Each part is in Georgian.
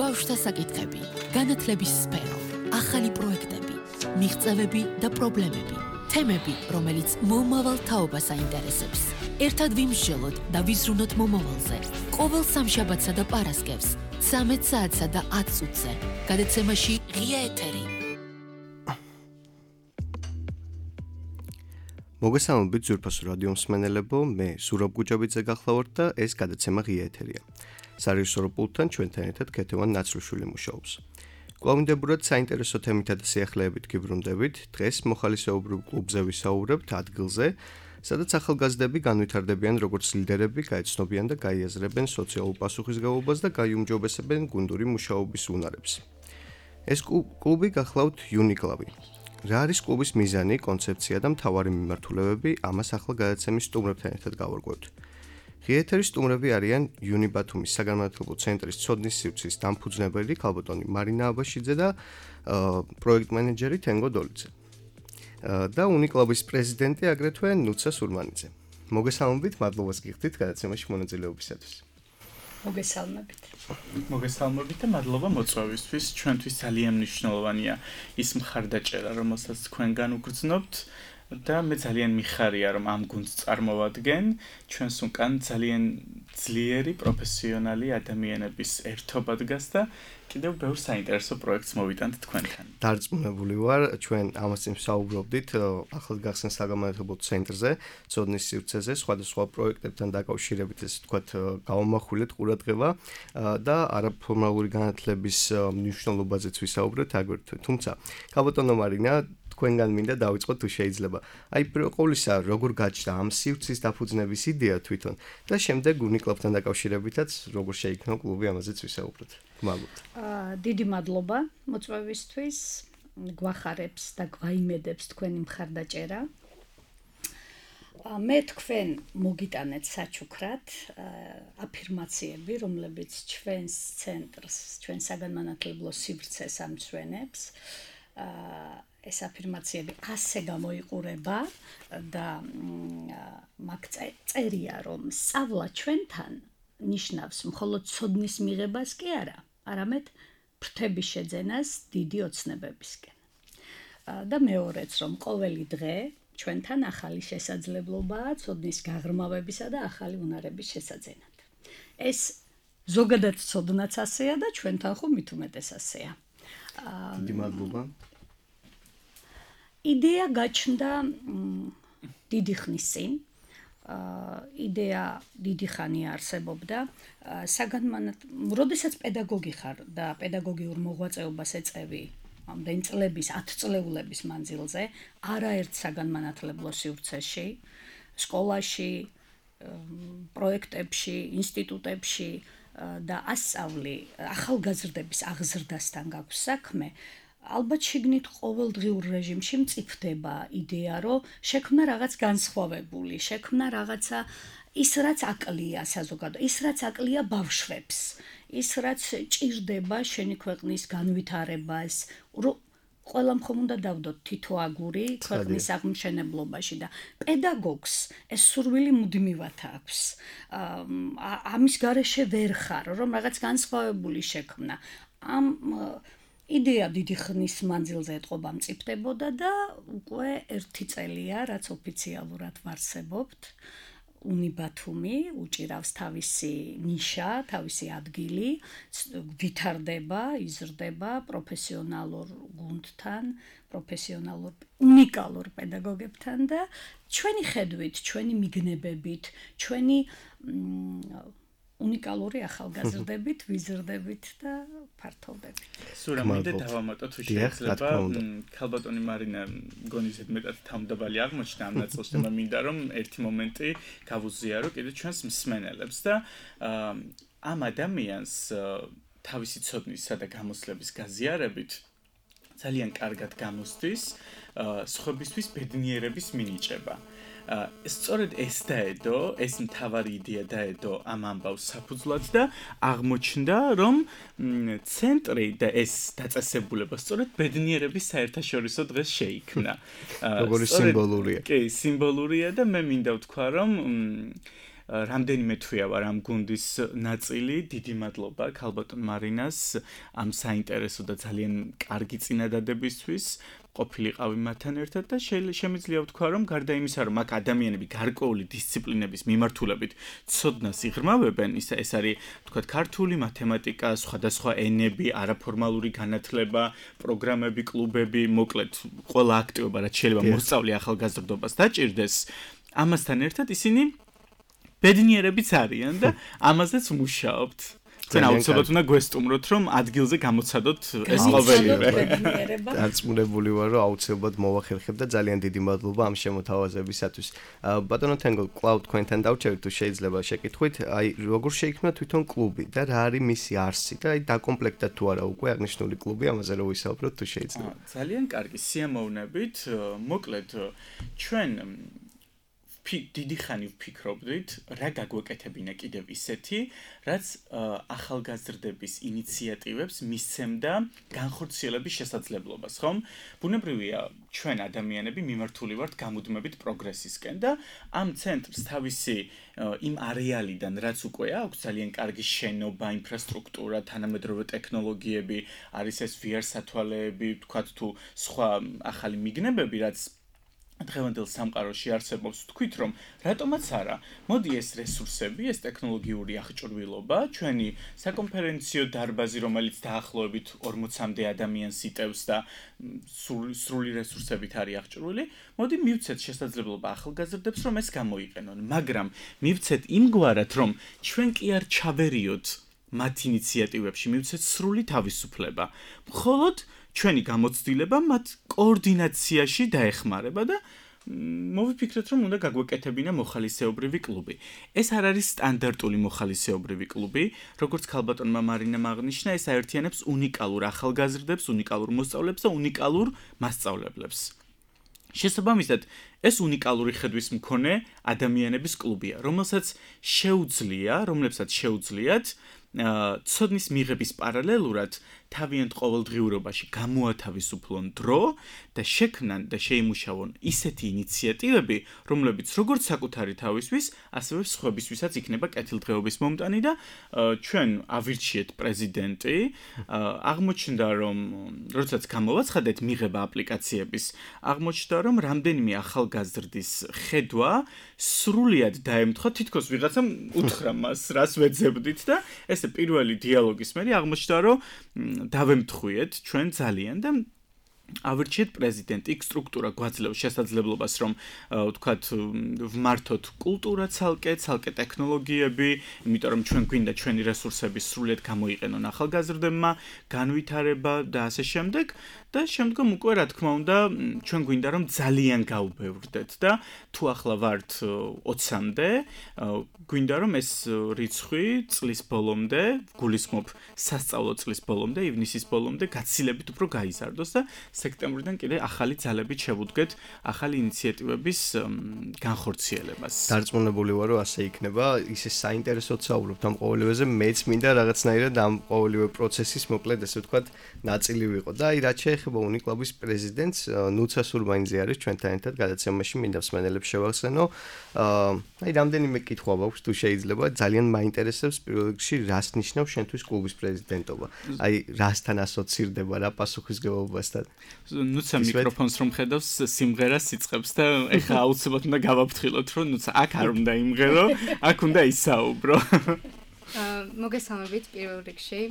ბავშვთა საკითხები, განათლების სფერო, ახალი პროექტები, მიღწევები და პრობლემები, თემები, რომელიც მომავალ თაობას აინტერესებს. ერთად ვიმსჯელოთ და ვიზრუნოთ მომავალზე. ყოველ სამშაბათსა და პარასკევს, 13 საათსა და 10 წუთზე. გადაცემაში ღია ეთერი. მოგესალმებით ძვირფასო რადიო მსმენელებო, მე ზურაბ გუჯაბიძე გახლავართ და ეს გადაცემა ღია ეთერია. სარეჟისორო პულტთან ჩვენთან ერთად ქეთევან ნაცრუშვილი მუშაობს. კვლავინდებურად საინტერესო თემითა და სიახლეებით გიბრუნდებით. დღეს მოხალისეობრივ კლუბზე ვისაუბრებთ ადგილზე, სადაც ახალგაზრდები განვითარდებიან როგორც ლიდერები, გაეცნობიან და გაიაზრებენ სოციალურ პასუხისმგებლობას და გაიუმჯობესებენ გუნდური მუშაობის უნარებს. ეს კლუბი გახლავთ იუნიკლავი. რა არის კლუბის მიზანი, კონცეფცია და მთავარი მიმართულებები, ამას ახლა გადაცემის სტუმრებთან ერთად გავარკვევთ. ღია ეთერის სტუმრები არიან იუნიბათუმის საგანმანათლებლო ცენტრის ცოდნის სივრცის დამფუძნებელი ქალბატონი მარინა აბაშიძე და პროექტ მენეჯერი თენგო დოლიძე. და უნიკლავის პრეზიდენტი აგრეთვე ნუცა სურმანიძე. მოგესალმებით, მადლობას გიხდით გადაცემაში მონაწილეობისათვის. მოგესალმებით და მადლობა მოწვევისთვის. ჩვენთვის ძალიან მნიშვნელოვანია ის მხარდაჭერა, რომელსაც თქვენგან უგრძნობთ და მე ძალიან მიხარია, რომ ამ გუნდს წარმოვადგენ. ჩვენს უკან ძალიან ძლიერი პროფესიონალი ადამიანების ერთობა დგას და კიდევ ბევრ საინტერესო პროექტს მოვიტანთ თქვენთან. დარწმუნებული ვარ, ჩვენ ამას წინ ვსაუბრობდით ახლადგახსნილ საგანმანათლებლო ცენტრზე, ცოდნის სივრცეზე, სხვადასხვა პროექტებთან დაკავშირებით, ესე ვთქვათ, გავამახვილეთ ყურადღება და არაფორმალური განათლების მნიშვნელობაზეც ვისაუბრეთ აგრეთვე. თუმცა, ქალბატონო მარინა, თქვენგან მინდა დავიწყოთ თუ შეიძლება. აი, პირველ ყოვლისა, როგორ გაჩნდა ამ სივრცის დაფუძნების იდეა თვითონ და შემდეგ უნიკლავთან დაკავშირებითაც როგორ შეიქმნა კლუბი, ამაზეც ვისაუბროთ. გმადლობთ. დიდი მადლობა მოწვევისთვის. გვახარებს და გვაიმედებს თქვენი მხარდაჭერა. მე თქვენ მოგიტანეთ საჩუქრად აფირმაციები, რომლებიც ჩვენს ცენტრს, ჩვენ საგანმანათლებლო სივრცეს ამცვენებს. ეს აფირმაციები ასე გამოიყურება და მაგ წერია, რომ სწავლა ჩვენთან ნიშნავს მხოლოდ ცოდნის მიღებას კი არა, არამედ ფრთების შეძენას დიდი ოცნებებისკენ. და მეორეც, რომ ყოველი დღე ჩვენთან ახალი შესაძლებლობაა ცოდნის გაღრმავებისა და ახალი უნარების შესაძენად. ეს ზოგადად ცოდნაც ასეა და ჩვენთან ხო მით უმეტეს ასეა. დიდი მადლობა. იდეა გაჩნდა დიდი ხნის წინ. იდეა დიდი ხანი არსებობდა. როდესაც პედაგოგი ხარ და პედაგოგიურ მოღვაწეობას ეწევი ამდენი წლების, 10 წლეულების მანძილზე, არაერთ საგანმანათლებლო სივრცეში, სკოლაში, პროექტებში, ინსტიტუტებში და ასწავლი ახალგაზრდების აღზრდასთან გაქვს საქმე, ალბათ შიგნით ყოველდღიურ რეჟიმში მწიფდება იდეა, რომ შექმნა რაღაც განსხვავებული, შექმნა რაღაცა ის რაც აკლია საზოგადოებას, ის რაც აკლია ბავშვებს, ის რაც ჭირდება შენი ქვეყნის განვითარებას, ყველამ ხომ უნდა დავდოთ თითო აგური ქვეყნის აღმშენებლობაში და პედაგოგს ეს სურვილი მუდმივად აქვს. ამის გარეშე ვერ ხარ, რომ რაღაც განსხვავებული შექმნა. ამ იდეა დიდი ხნის მანძილზე ეტყობა მწიფდებოდა და უკვე 1 წელია, რაც ოფიციალურად ვარსებობთ. უნიბათუმი უჭირავს თავისი ნიშა, თავისი ადგილი, ვითარდება, იზრდება პროფესიონალურ გუნდთან, პროფესიონალურ უნიკალურ პედაგოგებთან და ჩვენი ხედვით, ჩვენი მიგნებებით, ჩვენი უნიკალური ახალგაზრდებით, ვიზრდებით და ფართოვდებით. სურამიდე დავამატო თუ შეიძლება, ქალბატონი მარინა მგონი ზედმეტად თავმდაბალი აღმოჩნდა ამ ნაწილში და მინდა რომ ერთი მომენტი გავუზიარო კიდე ჩვენს მსმენელებს და ამ ადამიანს თავისი ცოდნისა და გამოსლების გაზიარებით ძალიან კარგად გამოსდის სხვებისთვის ბედნიერების მინიჭება. სწორედ ეს დაედო, ეს მთავარი იდეა დაედო ამ ამბავს საფუძვლად და აღმოჩნდა, რომ ცენტრი და ეს დაწესებულება სწორედ ბედნიერების საერთაშორისო დღეს შეიქმნა. როგორი სიმბოლურია. კი, სიმბოლურია და მე მინდა ვთქვა, რომ რამდენიმე თვეა ვარ ამ გუნდის ნაწილი. დიდი მადლობა ქალბატონ მარინას ამ საინტერესო და ძალიან კარგი წინადადებისთვის. ყოფილიყავი მათთან ერთად და შემიძლია ვთქვა, რომ გარდა იმისა, რომ აქ ადამიანები გარკვეული დისციპლინების მიმართულებით ცოდნას იღრმავებენ, ეს არის, ვთქვათ, ქართული მათემატიკა, სხვადასხვა ენები, არაფორმალური განათლება, პროგრამები, კლუბები, მოკლედ, ყველა აქტივობა, რაც შეიძლება მოსწავლე ახალგაზრდობას დაჭირდეს, ამასთან ერთად ისინი ბედნიერებიც არიან და ამაზეც მუშაობთ. Ჩვენ აუცილებლად უნდა გვესტუმროთ, რომ ადგილზე გამოცადოთ ეს ყოველივე. დარწმუნებული ვარ, რომ აუცილებლად მოვახერხებ და ძალიან დიდი მადლობა ამ შემოთავაზებისათვის. ბატონო თენგო, კлауд თქვენთან დავჩერდით, თუ შეიძლება შეკითხვით, აი როგორ შეიქმნა თვითონ კლუბი და რა არის მისი არსი და აი დაკომპლექტდა თუ არა უკვე აღნიშნული კლუბი, ამაზე რომ ვისაუბროთ თუ შეიძლება. ძალიან კარგი სიამოვნებით. მოკლედ ჩვენ დიდი ხანი ვფიქრობდით, რა გაგვეკეთებინა კიდევ ისეთი, რაც ახალგაზრდების ინიციატივებს მისცემდა განხორციელების შესაძლებლობას, ხომ? ბუნებრივია, ჩვენ ადამიანები მიმართული ვართ გამუდმებით პროგრესისკენ და ამ ცენტრს თავისი იმ არეალიდან, რაც უკვე აქვს ძალიან კარგი შენობა, ინფრასტრუქტურა, თანამედროვე ტექნოლოგიები, არის ეს VR სათვალეები, ვთქვათ თუ სხვა ახალი მიგნებები, რაც დღევანდელ სამყაროში არსებობს, თქვით რომ რატომაც არა, მოდი ეს რესურსები, ეს ტექნოლოგიური აღჭურვილობა, ჩვენი საკონფერენციო დარბაზი, რომელიც დაახლოებით 40-მდე ადამიანს იტევს და სრული რესურსებით არის აღჭურვილი, მოდი მივცეთ შესაძლებლობა ახალგაზრდებს, რომ ეს გამოიყენონ, მაგრამ მივცეთ იმგვარად, რომ ჩვენ კი არ ჩავერიოთ მათ ინიციატივებში, მივცეთ სრული თავისუფლება. მხოლოდ ჩვენი გამოცდილება მათ კოორდინაციაში დაეხმარება და მოვიფიქრეთ, რომ უნდა გაგვეკეთებინა მოხალისეობრივი კლუბი. ეს არ არის სტანდარტული მოხალისეობრივი კლუბი, როგორც ქალბატონმა მარინამ აღნიშნა, ეს აერთიანებს უნიკალურ ახალგაზრდებს, უნიკალურ მოსწავლეებს და უნიკალურ მასწავლებლებს. შესაბამისად, ეს უნიკალური ხედვის მქონე ადამიანების კლუბია, რომელსაც რომლებსაც შეუძლიათ ცოდნის მიღების პარალელურად თავიანთ ყოველდღიურობაში გამოათავისუფლონ დრო და შექმნან და შეიმუშავონ ისეთი ინიციატივები, რომლებიც როგორც საკუთარი თავისთვის, ასევე სხვებისთვისაც იქნება კეთილდღეობის მომტანი და ჩვენ ავირჩიეთ პრეზიდენტი, აღმოჩნდა, რომ როდესაც გამოვაცხადეთ მიღება აპლიკაციების, აღმოჩნდა, რომ რამდენიმე ახალგაზრდის ხედვა სრულიად დაემთხვა, თითქოს ვიღაცამ უთხრა მას, რას ვეძებდით და ესე პირველი დიალოგის მერე აღმოჩნდა, რომ დავემთხვიეთ ჩვენ ძალიან და ავირჩიეთ პრეზიდენტი, იქ სტრუქტურა გვაძლევს შესაძლებლობას, რომ ვთქვათ, ვმართოთ კულტურა ცალკე ტექნოლოგიები, იმიტომ რომ ჩვენ გვინდა ჩვენი რესურსები სრულიად გამოიყენონ ახალგაზრდებმა, განვითარება და ასე შემდეგ და შემდგომ უკვე რა თქმა უნდა, ჩვენ გვინდა რომ ძალიან გავბევრდეთ და თუ ახლა ვართ 20-მდე, გვინდა რომ ეს რიცხვი წლის ბოლომდე, გულისხმობ სასწავლო წლის ბოლომდე, ივნისის ბოლომდე გაცილებით უფრო გაიზარდოს და სექტემბრიდან კიდე ახალი ძალებით შევუდგეთ ახალი ინიციატივების განხორციელებას. დარწმუნებული ვარ, რომ ასე იქნება. ისე საინტერესოდ საუბრობთ ამ ყოველივეზე, მეც მინდა რაღაცნაირად ამ ყოველივე პროცესის მოკლედ ესე ვთქვათ, ნაწილი ვიყო. და აი რაც შეეხება უნიკლუბის პრეზიდენტს, ნუცა სურბაინიძე არის ჩვენთან ერთად გადაცემაში, მინდა მსმენელებს შევახსენო. აი რამდენიმე კითხვა აქვს, თუ შეიძლება, ძალიან მაინტერესებს პირველ რიგში, რას ნიშნავს შენთვის კლუბის პრეზიდენტობა. აი რასთან ასოცირდება, რა პასუხისგებლობასთან? ნუცა მიკროფონს რომ ხედავს, სიმღერას იწყებს და ეხლა აუცილებლად უნდა გავაფრთხილოთ, რომ ნუცა აქ არ უნდა იმღერო, აქ უნდა ისაუბრო. მოგესალმებით პირველ რიგში.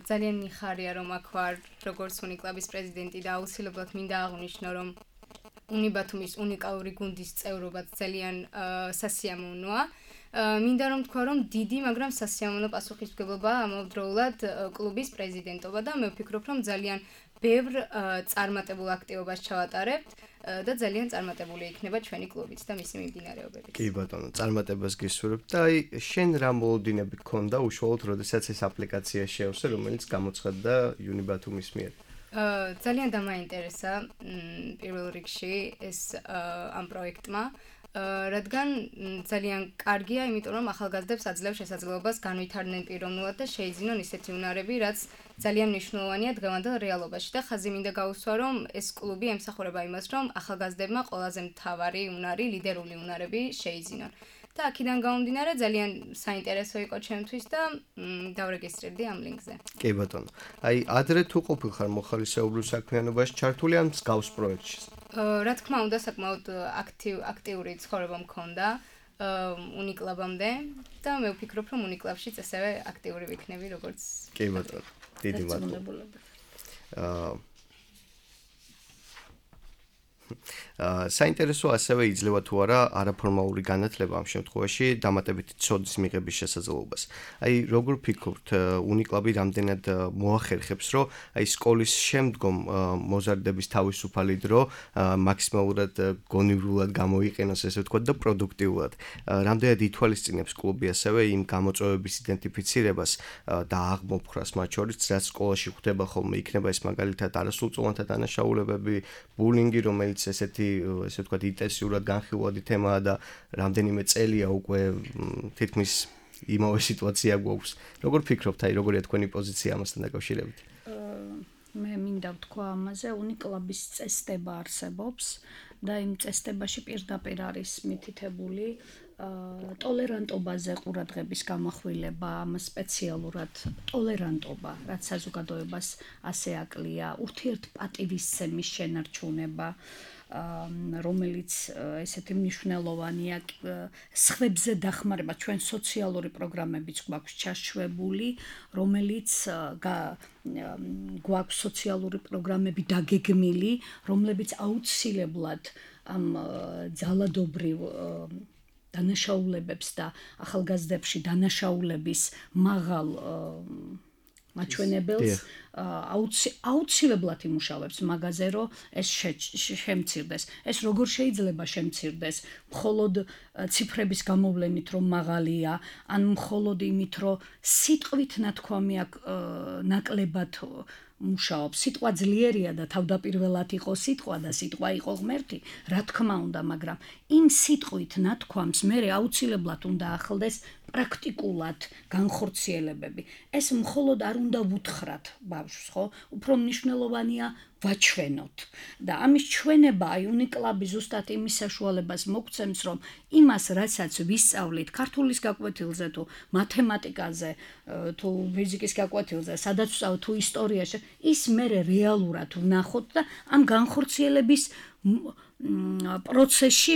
ძალიან მიხარია რომ აქ ვარ როგორც უნიკლუბის პრეზიდენტი და აუცილებლად მინდა აღვნიშნო რომ უნიბათუმის უნიკალური გუნდის წევრობაც ძალიან სასიამოვნოა. მინდა რომ თქვა რომ დიდი, მაგრამ სასიამოვნო პასუხისმგებლობაა ამავდროულად კლუბის პრეზიდენტობა და მე ვფიქრობ რომ ძალიან ბევრ წარმატებულ აქტივობას ჩავატარებთ და ძალიან წარმატებული იქნება ჩვენი კლუბიც და მისი მიმდინარეობებიც. კი ბატონო, წარმატებას გისურვებ და აი შენ რა მოლოდინები გქონდა უშუალოდ როდესაც ეს აპლიკაცია შეავსე, რომელიც გამოცხადდა უნიბათუმის მიერ? ძალიან დამაინტერესა პირველ რიგში ეს ამ პროექტმა. რადგან ძალიან კარგია, იმიტომ რომ ახალგაზრდებს აძლევს შესაძლებლობას განვითარდნენ პიროვნულად და შეიძინონ ისეთი უნარები, რაც ძალიან მნიშვნელოვანია დღევანდელ რეალობაში და ხაზი მინდა გაუსვა, რომ ეს კლუბი ემსახურება იმას, რომ ახალგაზრდებმა ყველაზე მთავარი უნარი, ლიდერული უნარები შეიძინონ. და აქედან გამომდინარე ძალიან საინტერესო იყო ჩემთვის და დავრეგისტრირდი ამ ლინკზე. კი ბატონო. აი ადრე თუ ყოფილხარ მოხალისეობრივ საქმიანობაში ჩართული ან მსგავს პროექტში? რა თქმა უნდა, საკმაოდ აქტიური ცხოვრება მქონდა უნიკლაბამდე და მე ვფიქრობ, რომ უნიკლაბშიც ასევე აქტიური ვიქნები, როგორც კი ბატონო. დიდი მადლობა. საინტერესო ასევე იძლევა თუ არა არაფორმალური განათლება ამ შემთხვევაში დამატებითი ცოდის მიღების შესაძლებლობას. აი როგორ ფიქრობთ, უნიკლაბი რამდენად მოახერხებს, რომ აი სკოლის შემდგომ მოზარდების თავისუფალი დრო მაქსიმალურად გონივრულად გამოიყენოს, ესე ვთქვათ, და პროდუქტიულად. რამდენად ითვალისწინებს კლუბი ასევე იმ გამოწვევების იდენტიფიცირებას და აღმოფხვრას მათ შორის, რაც სკოლაში ხდება ხოლმე, იქნება ეს მაგალითად არასრულწლოვანთა დანაშაულებები, ბულინგი, რომელიც ესეთი ესე ვთქვათ ინტენსიურად განხილვადი თემაა და რამდენიმე წელია უკვე თითქმის იმავე სიტუაცია გვაქვს. როგორ ფიქრობთ, აი როგორია თქვენი პოზიცია ამასთან დაკავშირებით? მე მინდა ვთქვა ამაზე, უნიკლაბის წესდება არსებობს და იმ წესდებაში პირდაპირ არის მითითებული ტოლერანტობაზე ყურადღების გამახვილება, ამ სპეციალურად ტოლერანტობა, რაც საზოგადოებას ასე აკლია, ურთიერთპატივისცემის შენარჩუნება, რომელიც ესეთი მნიშვნელოვანია სხვებზე დახმარება, ჩვენ სოციალური პროგრამებიც გვაქვს ჩაშვებული, რომელიც გვაქვს სოციალური პროგრამები დაგეგმილი, რომლებიც აუცილებლად ამ ძალადობრივ დანაშაულებებს და ახალგაზრდებში დანაშაულების მაღალ მაჩვენებელს აუცილებლად იმუშავებს მაგაზე, რომ ეს შემცირდეს. ეს როგორ შეიძლება შემცირდეს? მხოლოდ ციფრების გამოვლენით, რომ მაღალია, ან მხოლოდ იმით, რომ სიტყვით ნათქვამი ნაკლებად მუშაობს. სიტყვა ძლიერია და თავდაპირველად იყო სიტყვა და სიტყვა იყო ღმერთი, რა თქმა უნდა, მაგრამ იმ სიტყვით ნათქვამს მე აუცილებლად უნდა ახლდეს პრაქტიკულად განხორციელებები. ეს მხოლოდ არ უნდა ვუთხრათ ბავშვს, ხო? უფრო მნიშვნელოვანია ვაჩვენოთ. და ამის ჩვენება აი უნიკლაბი ზუსტად იმის საშუალებას მოგცემს, რომ იმას, რასაც ვისწავლით ქართულის გაკვეთილზე თუ მათემატიკაზე თუ ფიზიკის გაკვეთილზე, სადაც ვსწავლთ თუ ისტორიაში, ის მე რეალურად ვნახოთ და ამ განხორციელების პროცესში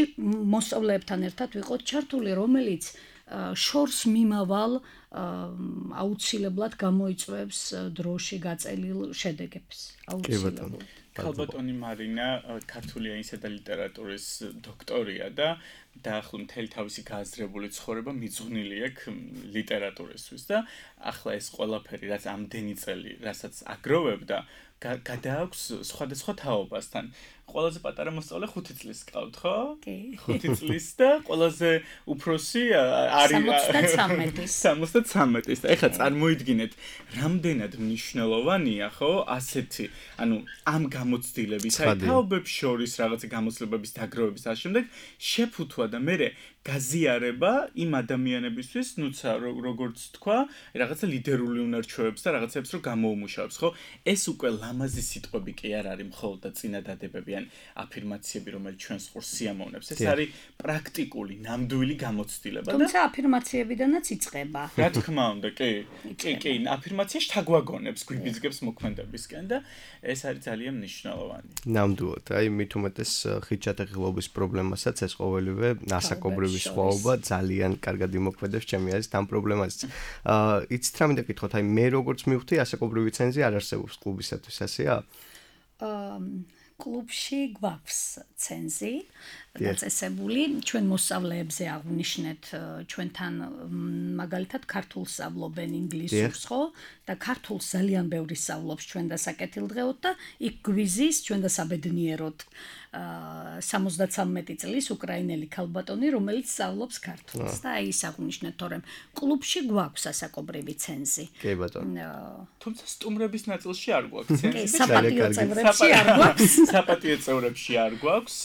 მოსწავლეებთან ერთად ვიყოთ ჩართული, რომელიც შორს მიმავალ აუცილებლად გამოიწვევს დროში გაწელილ შედეგებს. აუცილებლად. ქალბატონი მარინა ქართული ენისა და ლიტერატურის დოქტორია და დაახლოებით მთელი თავისი გააზრებული ცხოვრება მიძღვნილი აქვს ლიტერატურისთვის და ახლა ეს ყველაფერი, რაც ამდენი წელი, რასაც აგროვებდა, გადააქვს სხვადასხვა თაობასთან. ყველაზე პატარა მოსწავლე 5 წლის გყავთ, ხო? კი. 5 წლის და ყველაზე უფროსი არის 73-ის. და ეხლა წარმოიდგინეთ, რამდენად მნიშვნელოვანია, ხო, ასეთი, ანუ ამ გამოცდილების, აი თაობებს შორის რაღაცა გამოცდილების დაგროვების და შემდეგ შეფუთვა და მე გაზიარება იმ ადამიანებისთვის, ნუცა როგორც თქვა, რაღაცა ლიდერული უნარჩვევებს და რაღაცებს რო გამოუმუშავებს, ხო? ეს უკვე ლამაზი სიტყვები კი არ არის მხოლოდ და წინადადებები ან აფირმაციები, რომელიც ჩვენს ყურს სიამოვნებს. ეს არის პრაქტიკული, ნამდვილი გამოცდილება და თუმცა აფირმაციებიდანაც იწყება. რა თქმა უნდა, კი, აფირმაცია შთაგვაგონებს, გვიბიძგებს მოქმედებისკენ და ეს არის ძალიან მნიშვნელოვანი. ნამდვილად, აი მით უმეტეს ხიჭატეხილობის პრობლემასაც ეს ყოველივე ასაკობრივი სხვაობა ძალიან კარგად იმოქმედებს ჩემი აზრით ამ პრობლემაზეც. იცით რა მინდა გითხოთ, აი მე როგორც მივხვდი, ასაკობრივი ცენზი არ არსებობს κλუბისათვის, ასეა? კლუბში გვაქვს ცენზი დაწესებული, ჩვენ მოსწავლეებზე აღვნიშნეთ, ჩვენთან მაგალითად ქართულს სწავლობენ ინგლისურს, ხო? და ქართულს ძალიან ბევრი სწავლობს ჩვენ და საკეთილდღეოდ და იქ გვიზის ჩვენ და საბედნიეროდ 73 წლის უკრაინელი ქალბატონი, რომელიც სწავლობს ქართულს და აი ის აღვნიშნეთ, თორემ კლუბში გვაქვს ასაკობრივი ცენზი. კი ბატონო. თუმცა სტუმრების ნაწილში არ გვაქვს ცენზი. საპატიო წევრებში არ გვაქვს. საპატიო წევრებში არ გვაქვს.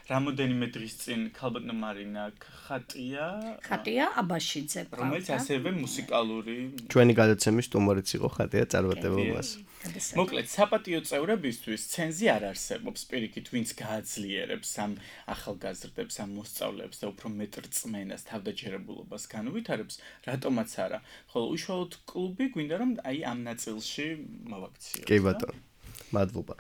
რამოდენიმე დღის წინ ქალბატონო მარინა ხატია აბაშიძე რომელიც ასევე მუსიკალური ჩვენი გადაცემის სტუმარიც იყო ხატია წარმატებულებას მოკლედ საპატიო წევრებისთვის ცენზი არ არსებობს პირიქით ვინც გააძლიერებს ამ ახალგაზრდებს ამ მოსწავლეებს და უფრო მეტ რწმენას თავდაჯერებულობას განუვითარებს რატომაც არა ხოლო უშუალოდ კლუბი გვინდა რომ აი ამ ნაწილში მოვაქციოთ კი ბატონო მადლობა.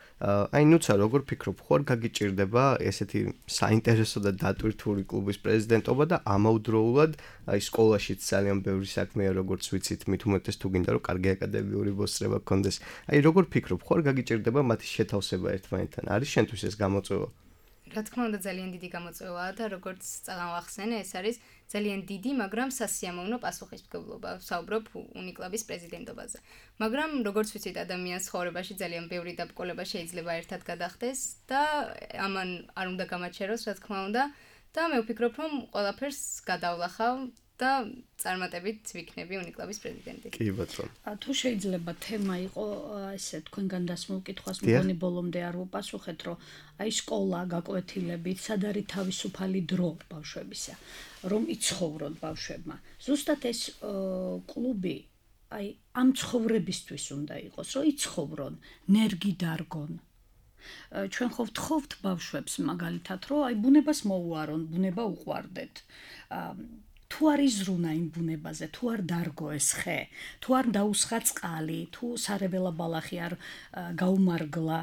აი ნუცა როგორ ფიქრობ, ხوار გაგიჭირდება ესეთი საინტერესო და დატვირთული კლუბის პრეზიდენტობა და ამავდროულად აი სკოლაშიც ძალიან ბევრი საქმეა როგორც ვიცით, მით უმეტეს თუ გინდა რომ კარგი აკადემიური მოსწრება გქონდეს. აი როგორ ფიქრობ, ხوار გაგიჭირდება მათი შეთავსება ერთმანეთთან? არის შენთვის ეს გამოწვევა? რა თქმა უნდა ძალიან დიდი გამოწვევაა და როგორც წამახსენე ეს არის ძალიან დიდი, მაგრამ სასიამოვნო პასუხისმგებლობა. ვსაუბრობ უნიკლაბის პრეზიდენტობაზე. მაგრამ როგორც ვიცით, ადამიანის ცხოვრებაში ძალიან ბევრი დაბრკოლება შეიძლება ერთად გადახდეს და ამან არ უნდა გამაჩეროს, რა თქმა უნდა, და მე ვფიქრობ, რომ ყველაფერს გადავლახავ და წარმატებით ვიქნები უნიკლაბის პრეზიდენტი. კი ბატონო. თუ შეიძლება თემა იყო ესე თქვენგან დასმულ კითხვას მგონი ბოლომდე არ ვუპასუხეთ, რომ აი სკოლა გაკვეთილებით, სად არის თავისუფალი დრო ბავშვებისა, რომ იცხოვრონ ბავშვებმა. ზუსტად ეს კლუბი აი ამ ცხოვრებისთვის უნდა იყოს, რომ იცხოვრონ, ნერგი დარგონ. ჩვენ ხო ვთხოვთ ბავშვებს მაგალითად, რომ აი ბუნებას მოუარონ, ბუნება უყვარდეთ. თუ არ იზრუნა იმ ბუნებაზე, თუ არ დარგო ეს ხე, თუ არ დაუსხა წყალი, თუ სარეველა ბალახი არ გაუმარგლა,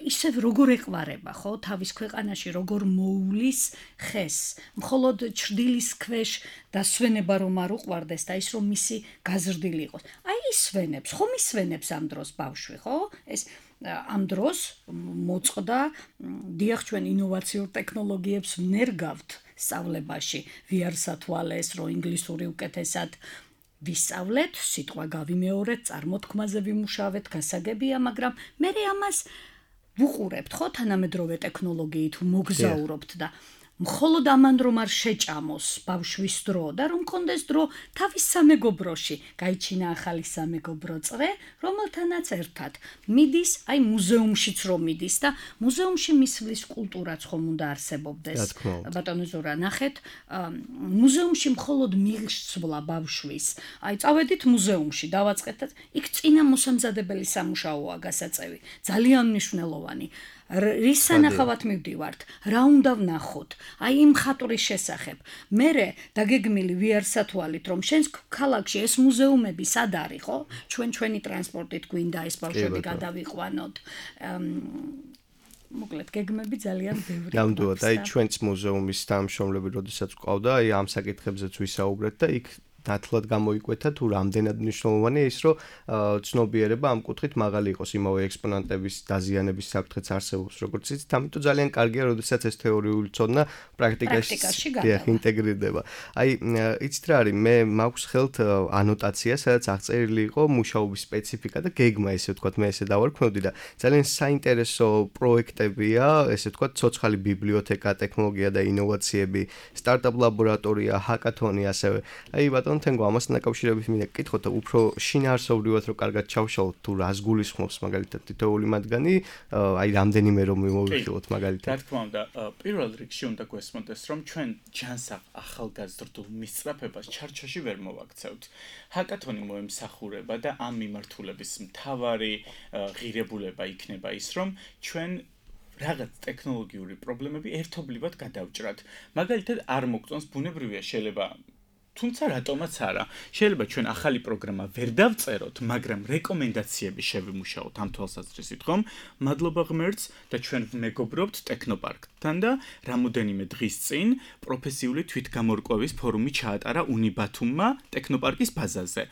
ისევ როგორ ეყვარება, ხო, თავის ქვეყანაში როგორ მოულის ხეს, მხოლოდ ჩრდილის ქვეშ დასვენება რომ არ უყვარდეს და ის რომ მისი გაზრდილი იყოს. აი ისვენებს, ხომ ისვენებს ამ დროს ბავშვი, ხო? ეს ამ დროს მოწყდა დიახ ჩვენ ინოვაციურ ტექნოლოგიებს ვნერგავთ სწავლებაში VR-სათვალეს რო ინგლისური უკეთესად ვისწავლეთ, სიტყვა გავიმეორეთ, წარმოთქმაზე ვიმუშავეთ, გასაგებია, მაგრამ მე ამას ვუყურებთ, ხო, თანამედროვე ტექნოლოგიით მოგზაურობთ და მხოლოდ ამან რომ არ შეჭამოს ბავშვის დრო და რომ კონდეს დრო თავის სამეგობროში, გაიჩინა ახალი სამეგობრო წრე, რომელთანაც ერთად მიდის, აი მუზეუმშიც რომ მიდის და მუზეუმში მისვლის კულტურაც ხომ უნდა არსებობდეს. ბატონო ზურა, ნახეთ, მუზეუმში მხოლოდ მისვლა ბავშვის. აი წავედით მუზეუმში, დავაწყეთთ, იქ წინა მოსამზადებელი სამუშაოა გასაწევი, ძალიან მნიშვნელოვანი. რის სანახავად მივდივართ, რა უნდა ვნახოთ, აი იმ ხატურის შესახებ. მერე დაგეგმილი VR-სათვალით, რომ შენს ქალაქში ეს მუზეუმები სად არის, ხო? ჩვენი ტრანსპორტით გვინდა ეს ბავშვები გადავიყვანოთ. მოკლედ გეგმები ძალიან ბევრი. ნამდვილად, აი ჩვენც მუზეუმის თანამშრომლები როდესაც გვყავდა, აი ამ საკითხებზეც ვისაუბრეთ და იქ ნათლად გამოიკვეთა თუ რამდენად მნიშვნელოვანია ის რომ ცნობიერება ამ კუთხით მაღალი იყოს იმავე ექსპონატების დაზიანების საფრთხეც არსებობს როგორც იცით ამიტომ ძალიან კარგია როდესაც ეს თეორიული ცოდნა პრაქტიკაში ინტეგრირდება აი იცით რა არის მე მაქვს ხელთ ანოტაცია სადაც აღწერილი იყო მუშაობის სპეციფიკა და გეგმა ესე ვთქვათ მე ესე დავარქმევდი და ძალიან საინტერესო პროექტებია ესე ვთქვათ ცოცხალი ბიბლიოთეკა ტექნოლოგია და ინოვაციები სტარტაპ ლაბორატორია ჰაკათონი ასევე აი ბატონო თენგო ამასთან დაკავშირებით მინდა გკითხოთ უფრო შინაარსობრივად რომ კარგად ჩავშალოთ თუ რას გულისხმობს მაგალითად თითოეული მათგანი აი რამდენიმე რომ მოვიხილოთ მაგალითად რა თქმა უნდა პირველ რიგში უნდა გვესმოდეს რომ ჩვენ ჯანსაღ ახალგაზრდულ მისწრაფებას ჩარჩოში ვერ მოვაქცევთ ჰაკათონი მოემსახურება და ამ მიმართულების მთავარი ღირებულება იქნება ის რომ ჩვენ რაღაც ტექნოლოგიური პრობლემები ერთობლივად გადავჭრათ მაგალითად არ მოგწონს ბუნებრივია შეიძლება თუმცა რატომაც არა შეიძლება ჩვენ ახალი პროგრამა ვერ დავწეროთ მაგრამ რეკომენდაციები შევიმუშაოთ ამ თვალსაზრისით ხომ მადლობა ღმერთს და ჩვენ მეგობრობთ ტექნოპარკთან და რამოდენიმე დღის წინ პროფესიული თვითგამორკვევის ფორუმი ჩაატარა უნიბათუმმა ტექნოპარკის ბაზაზე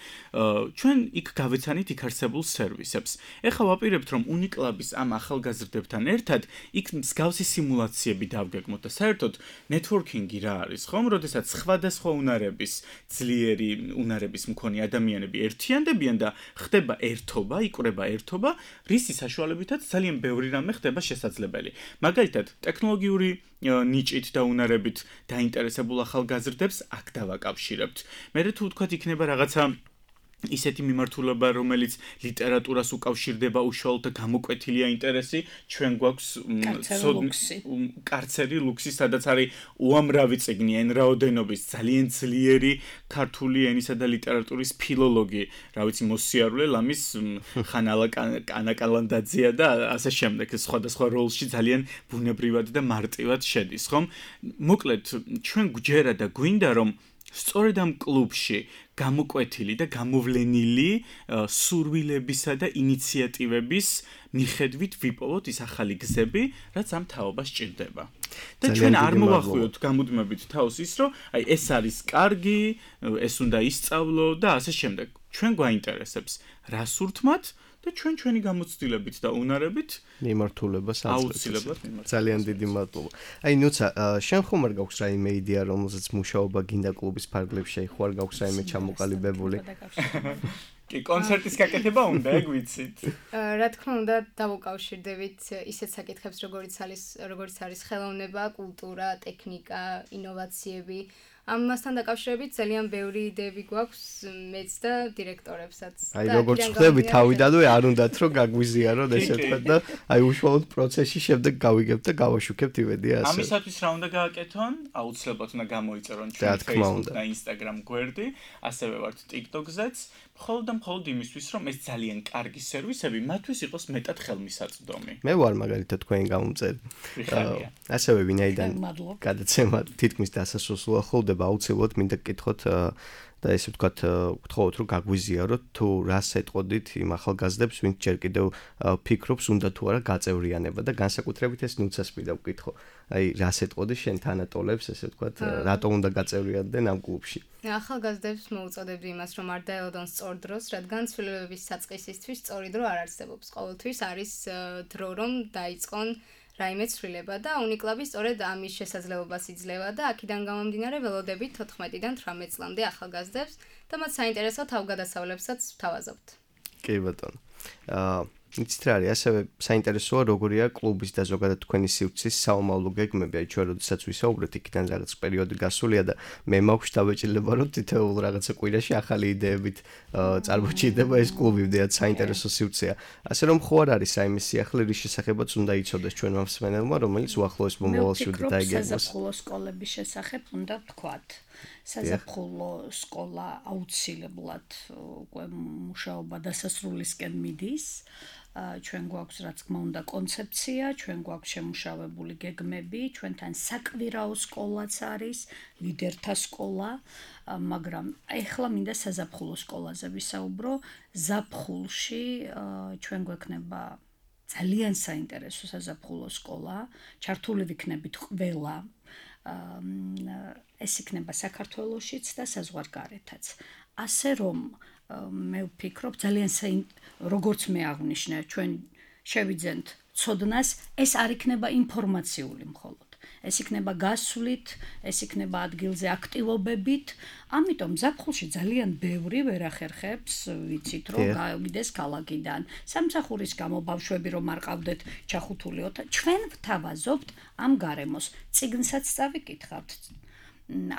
ჩვენ იქ გავეცანით იქ არსებულ სერვისებს ეხლა ვაპირებთ რომ უნიკლაბის ამ ახალგაზრდებთან ერთად იქ მსგავსი სიმულაციები დავგეგმოთ და საერთოდ ნეტვორკინგი რა არის ხომ როდესაც სხვადასხვა უნარების ძლიერი უნარების მქონე ადამიანები ერთიანდებიან და ხდება ერთობა, იკვრება ერთობა, რისი საშუალებითაც ძალიან ბევრი რამე ხდება შესაძლებელი. მაგალითად, ტექნოლოგიური ნიჭით და უნარებით დაინტერესებულ ახალგაზრდებს აქ დავაკავშირებთ. მე თუ ვთქვათ იქნება რაღაცა ისეთი მიმართულება, რომელიც ლიტერატურას უკავშირდება უშუალოდ და გამოკვეთილია ინტერესი, ჩვენ გვაქვს კარცერი ლუქსი, სადაც არის უამრავი წიგნი, ან რაოდენობის ძალიან ძლიერი ქართული ენისა და ლიტერატურის ფილოლოგი, რა ვიცი, მოსიარულე ლამის ხანალა კანაკალანდაძეა და ასე შემდეგ, სხვადასხვა როლში ძალიან ბუნებრივად და მარტივად შედის, ხომ? მოკლედ, ჩვენ გვჯერა და გვინდა რომ სწორედ ამ კლუბში გამოკვეთილი და გამოვლენილი სურვილებისა და ინიციატივების მიხედვით ვიპოვოთ ის ახალი გზები, რაც ამ თაობას ჭირდება. და ჩვენ არ მოვახვიოთ გამუდმებით თავს ის, რომ აი ეს არის კარგი, ეს უნდა ისწავლო და ასე შემდეგ. ჩვენ გვაინტერესებს რა სურთმათ და ჩვენი გამოცდილებით და უნარებით მიმართულებას აუცილებლად ძალიან დიდი მადლობა. აი ნუცა, შენ ხომ არ გაქვს რაიმე იდეა, რომელზეც მუშაობა გინდა კლუბის ფარგლებში, ხო არ გაქვს რაიმე ჩამოყალიბებული? კი, კონცერტის გაკეთება უნდა, ეგ ვიცით. რა თქმა უნდა, დავუკავშირდებით ისეთ საკითხებს, როგორც არის ხელოვნება, კულტურა, ტექნიკა, ინოვაციები. ამასთან დაკავშირებით ძალიან ბევრი იდეები გვაქვს მეც და დირექტორებსაც. აი როგორც ხვდები თავიდანვე არ უნდათ რომ გაგვიზიაროთ ესე თქვა და აი უშუალოდ პროცესში შემდეგ გავიგებთ და გავაშუქებთ იმედია ასე. ამისათვის რა უნდა გააკეთონ? აუცილებლად უნდა გამოიწერონ ჩვენ Facebook და Instagram გვერდი, ასევე ვართ TikTok-ზეც, მხოლოდ იმისთვის რომ ეს ძალიან კარგი სერვისები მათთვის იყოს მეტად ხელმისაწვდომი. მე ვარ მაგალითად თქვენი გამომწერი. ასევე ვინაიდან გადაცემა თითქმის დასასრულსა ხოლმე აუცილებლად მინდა გკითხოთ და ესე ვთქვათ, გთხოვოთ რომ გაგვიზიაროთ თუ რას ეტყოდით იმ ახალგაზრდებს, ვინც ჯერ კიდევ ფიქრობს უნდა თუ არა გაწევრიანება და განსაკუთრებით ეს ნუცას მინდა ვკითხო. აი რას ეტყოდი შენ თანატოლებს, ესე ვთქვათ, რატომ უნდა გაწევრიანდნენ ამ კლუბში? ახალგაზრდებს მოუწოდებდი იმას, რომ არ დაელოდონ სწორ დროს, რადგან ცვლილებების საწყისისთვის სწორი დრო არ არსებობს. ყოველთვის არის დრო რომ დაიწყონ რაიმე ცვლილება და უნიკლაბი სწორედ ამის შესაძლებლობას იძლევა და აქედან გამომდინარე ველოდებით 14-დან 18 წლამდე ახალგაზრდებს და მათ საინტერესო თავგადასავლებსაც ვთავაზობთ. კი ბატონო. იცით რა არის, ასევე საინტერესოა როგორია კლუბის და ზოგადად თქვენი სივრცის საომავლო გეგმები, აი ჩვენ როდესაც ვისაუბრეთ, იქიდან რაღაც პერიოდი გასულია და მე მაქვს დავეჭილება რომ თითოეულ რაღაცა კვირაში ახალი იდეებით წარმოჩიდება ეს კლუბი, ვიდეო საინტერესო სივრცეა. ასე რომ ხო არ არის რაიმე სიახლე, რის შესახებაც უნდა იცოდეს ჩვენმა მსმენელმა, რომელიც უახლოეს მომავალში უნდა დაიგეგმოს. საზაფხულო სკოლების შესახებ უნდა ვთქვათ. საზაფხულო სკოლა აუცილებლად უკვე მუშაობა დასასრულისკენ მიდის. ჩვენ გვაქვს რა თქმა უნდა კონცეფცია, ჩვენ გვაქვს შემუშავებული გეგმები, ჩვენთან საკვირაო სკოლაც არის, ლიდერთა სკოლა, მაგრამ ეხლა მინდა საზაფხულო სკოლაზე ვისაუბრო. ზაფხულში ჩვენ გვექნება ძალიან საინტერესო საზაფხულო სკოლა, ჩართული ვიქნებით ყველა. ეს იქნება საქართველოშიც და საზღვარგარეთაც. ასე რომ მე ვფიქრობ ძალიან როგორც მე აღნიშნე, ჩვენ შევიძენთ ცოდნას, ეს არ იქნება ინფორმაციული მხოლოდ. ეს იქნება გასვლით, ეს იქნება ადგილზე აქტივობებით. ამიტომ ზაფხულში ძალიან ბევრი ვერ ახერხებს, ვიცით რომ გავიდეს ქალაქიდან. სამსახურის გამო ბავშვები რომ არ ყავდეთ ჩახუთული ოთახი, ჩვენ ვთავაზობთ ამ გარემოს. წიგნსაც წავიკითხავთ.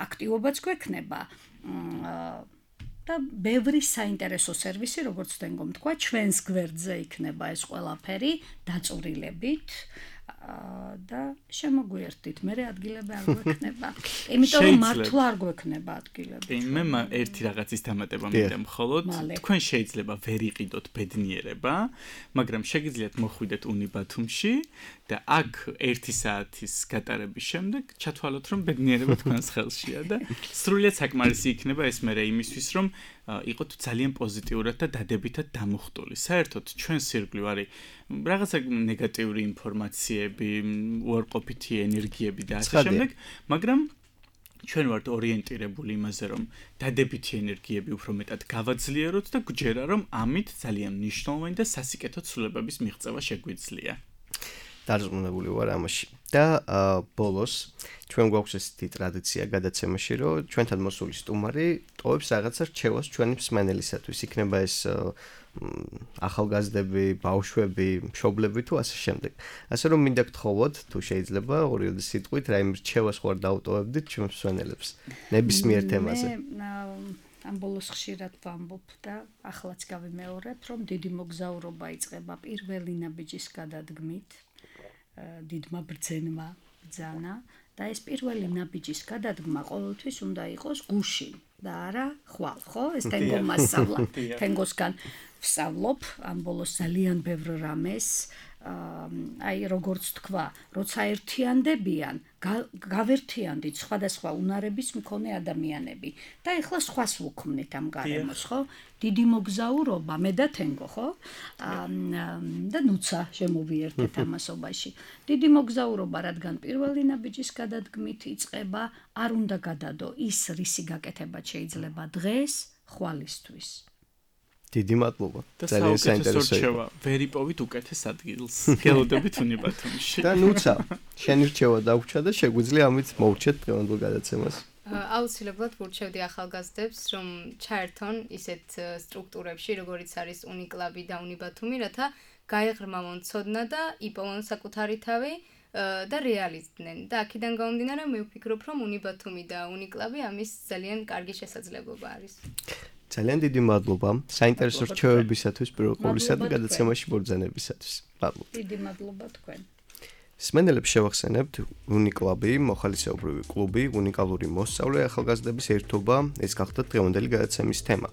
აქტივობაც გვექნება. და ბევრი საინტერესო სერვისი, როგორც თქვენ თქვა, ჩვენს გვერდზე იქნება ეს ყველაფერი დაწურილებით და შემოგვიერთდით, მე ადგილები არ გვექნება. იმიტომ რომ მართლა არ გვექნება ადგილები. მე ერთი რაღაცის დამატება მინდა მხოლოდ, თქვენ შეიძლება ვერ იყიდოთ ბედნიერება, მაგრამ შეგიძლიათ მოხვიდეთ უნიბათუმში და აქ 1 საათის გატარების შემდეგ ჩათვალოთ, რომ ბედნიერება თქვენს ხელშია და სრულიად საკმარისი იქნება ეს მერე იმისთვის, რომ იყოთ ძალიან პოზიტიურად და დადებითად დამუხტული. საერთოდ ჩვენ სირგლივ არის რაღაცა ნეგატიური ინფორმაციები, უარყოფითი ენერგიები და ასე შემდეგ, მაგრამ ჩვენ ვართ ორიენტირებული იმაზე, რომ დადებითი ენერგიები უფრო მეტად გავაძლიეროთ და გვჯერა, რომ ამით ძალიან მნიშვნელოვანი და სასიკეთო ცვლილებების მიღწევა შეგვიძლია. დარწმუნებული ვარ ამაში. და ბოლოს ჩვენ გვაქვს ესეთი ტრადიცია გადაცემაში, რომ ჩვენთან მოსული სტუმარი ტოვებს რაღაცა რჩევას ჩვენი მსმენელისათვის. იქნება ეს ახალგაზრდები, ბავშვები, მშობლები თუ ასე შემდეგ. ასე რომ მინდა გთხოვოთ, თუ შეიძლება, ორივე სიტყვით რაიმე რჩევას ხوار დავტოვებდით ჩვენს მსმენელებს ნებისმიერ თემაზე. ამ ბოლოს ხშირად ვამბობ და ახლაც გავიმეორებ, რომ დიდი მოგზაურობა იწყება პირველი ნაბიჯის გადადგმით, დიდმა ბრძენმა ბრძანა და ეს პირველი ნაბიჯის გადადგმა ყოველთვის უნდა იყოს გუშინ და არა ხვალ, ხო? ეს თენგო მასალა, თენგოსგან ვსწავლობ ამ ბოლოს ძალიან ბევრ რამეს, აი როგორც თქვა, როცა ერთიანდებიან, გავერთიანდით სხვადასხვა უნარების მქონე ადამიანები და ეხლა სხვას ვუქმნით ამ გარემოს, ხო? დიდი მოგზაურობა, მე და თენგო, ხო? და ნუცა შემოვიერთეთ ამასობაში. დიდი მოგზაურობა, რადგან პირველი ნაბიჯის გადადგმით იწყება, არ უნდა გადადო ის რისი გაკეთება შეიძლება დღეს, ხვალისთვის. დიდი მადლობა. ძალიან საინტერესოა. ვერ იპოვით უკეთეს ადგილს. გელოდებით უნიბათუმში. და ნუცა, შენი რჩევა დაგვჭა და შეგვიძლია ამით მოვჩეთ დღევანდელ გადაცემას. აუცილებლად ვურჩევდი ახალგაზრდებს, რომ ჩაერთონ ისეთ სტრუქტურებში, როგორიც არის უნიკლაბი და უნიბათუმი, რათა გაეღრმავონ ცოდნა და იპოვონ საკუთარი თავი და რეალიზდნენ. და აქედან გამომდინარე, მე ვფიქრობ, რომ უნიბათუმი და უნიკლაბი ამის ძალიან კარგი შესაძლებლობა არის. ძალიან დიდი მადლობა საინტერესო რჩევებისათვის პირველ ყოვლისა და გადაცემაში მობრძანებისათვის. მადლობა. დიდი მადლობა თქვენ. სმენელებს შევახსენებთ უნიკლაბი, მოხალისეობრივი კლუბი, უნიკალური მოსწავლე ახალგაზრდების ერთობა, ეს გახდათ დღევანდელი გადაცემის თემა.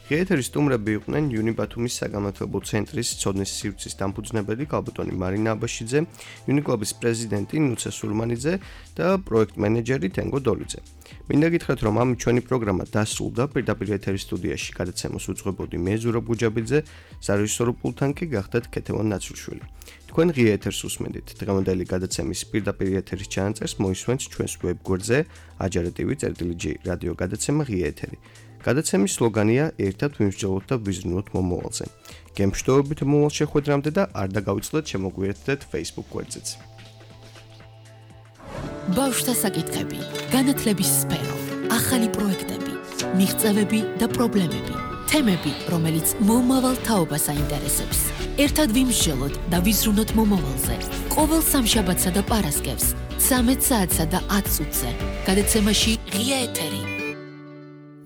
ღიეთერის სტუმრები იყვნენ უნიბათუმის საგანმანათლებლო ცენტრის ცოდნის სივრცის დამფუძნებელი კალბატონი მარინა აბაშიძე, უნიკლაბის პრეზიდენტი ნუცა სურმანიძე და პროექტ მენეჯერი თენგო დოლიძე. მინდა გითხრათ, რომ ამ ჩვენი პროგრამა დასრულდა, პირდაპირ ეთერის სტუდიაში გადაცემას უძღვებოდი მე ზურაბ გუჯაბიძე, სარეჟისორო პულტთან კი გახდათ ქეთევან ნაცრუშვილი. თქვენ ღია ეთერს უსმენთ. დღევანდელი გადაცემის პირდაპირ ეთერის ჩანაწერს მოისმენთ ჩვენს ვებგვერდზე ajar.tv/g რადიო გადაცემა ღია ეთერი. გადაცემის სლოგანია ერთად ვიმსჯელოთ და ვიზრუნოთ მომავალზე. გემშვიდობებით მომავალ შეხვედრამდე და არ დაგავიწყდეთ შემოგვიერთდეთ Facebook გვერდზეც. ბავშვთა საკითხები, განათლების სფერო, ახალი პროექტები, მიღწევები და პრობლემები, თემები, რომელიც მომავალ თაობას აინტერესებს. ერთად ვიმსჯელოთ და ვიზრუნოთ მომავალზე. ყოველ სამშაბათსა და პარასკევს 13 საათსა და 10 წუთზე. გადაცემაში ღია ეთერი.